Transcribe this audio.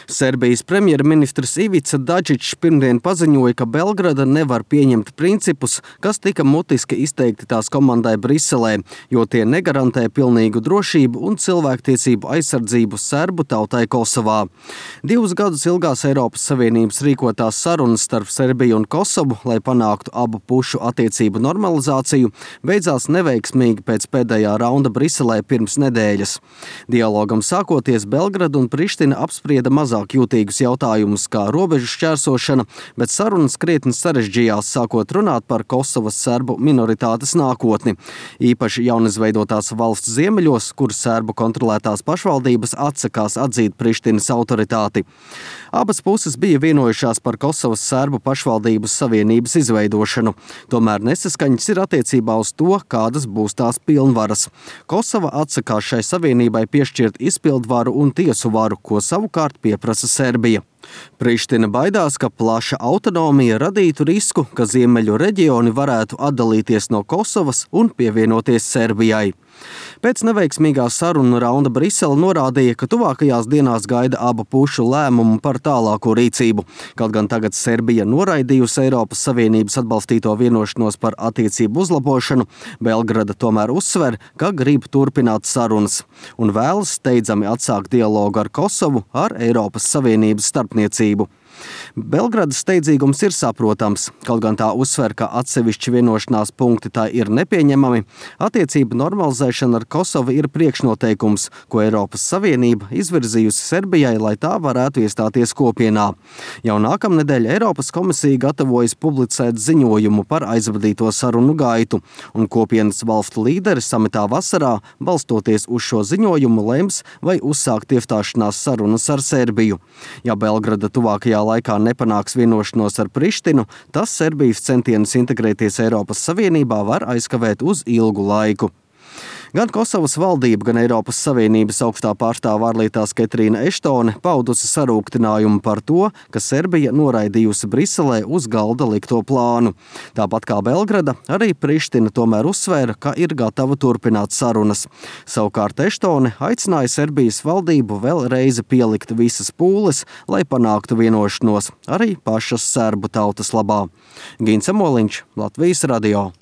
Serbijas premjerministrs Ivica Dačičs pirmdien paziņoja, ka Belgrada nevar pieņemt principus, kas tika mutiski izteikti tās komandai Briselē, jo tie negarantē pilnīgu drošību un cilvēktiesību aizsardzību serbu tautai Kosovā. 2 gadus ilgās Eiropas Savienības rīkotās sarunas starp Serbiju un Kosovu, lai panāktu abu pušu attiecību normalizāciju, beidzās neveiksmīgi pēc pēdējā raunda Briselē pirms nedēļas. Dialogam sākoties, Belgrada un Priština apsprieda mazāk jūtīgus jautājumus kā robežu šķērsošana, bet sarunas krietni sarežģījās, sākot runāt par Kosovas serbu minoritātes nākotni. Īpaši jaunizveidotās valsts ziemeļos, kur serbu kontrolētās pašvaldības atsakās atzīt Prištinas autoritāti. Abas puses bija vienojušās par Kosovas serbu pašvaldības savienības izveidošanu. Tomēr nesaskaņas ir attiecībā uz to, kādas būs tās pilnvaras. Kosova atsakās šai savienībai piešķirt izpildvaru un tiesu varu, ko savukārt pieprasa Serbija. Priština baidās, ka plaša autonomija radītu risku, ka ziemeļu reģioni varētu atdalīties no Kosovas un pievienoties Serbijai. Pēc neveiksmīgā sarunu raunda Brisele norādīja, ka tuvākajās dienās gaida abu pušu lēmumu par tālāko rīcību. Kaut gan tagad Serbija noraidījusi Eiropas Savienības atbalstīto vienošanos par attiecību uzlabošanu, Belgrada tomēr uzsver, ka grib turpināt sarunas un vēlas steidzami atsākt dialogu ar Kosovu ar Eiropas Savienības starpniecību. Belgradas steidzīgums ir saprotams, kaut gan tā uzsver, ka atsevišķi vienošanās punkti tā ir nepieņemami. Attiecību normalizēšana ar Kosovu ir priekšnoteikums, ko Eiropas Savienība izvirzījusi Serbijai, lai tā varētu iestāties kopienā. Jau nākamnedēļ Eiropas komisija gatavojas publicēt ziņojumu par aizvadīto sarunu gaitu, un kopienas valstu līderi samitā vasarā, balstoties uz šo ziņojumu, lems, vai uzsākt iestāšanās sarunas ar Serbiju. Ja Belgrada tuvākajā laikā nepanāks vienošanos ar Prištinu, tas Serbijas centienus integrēties Eiropas Savienībā var aizkavēt uz ilgu laiku. Gan Kosovas valdība, gan Eiropas Savienības augstā pārstāve ārlietās Ketrīna Eštone paudusi sarūktinājumu par to, ka Serbija noraidījusi Briselē uz galda likto plānu. Tāpat kā Belgrada, arī Priština tomēr uzsvēra, ka ir gatava turpināt sarunas. Savukārt Eštone aicināja Serbijas valdību vēl reizi pielikt visas pūles, lai panāktu vienošanos arī pašas serbu tautas labā. Gints Amoliņš, Latvijas radio.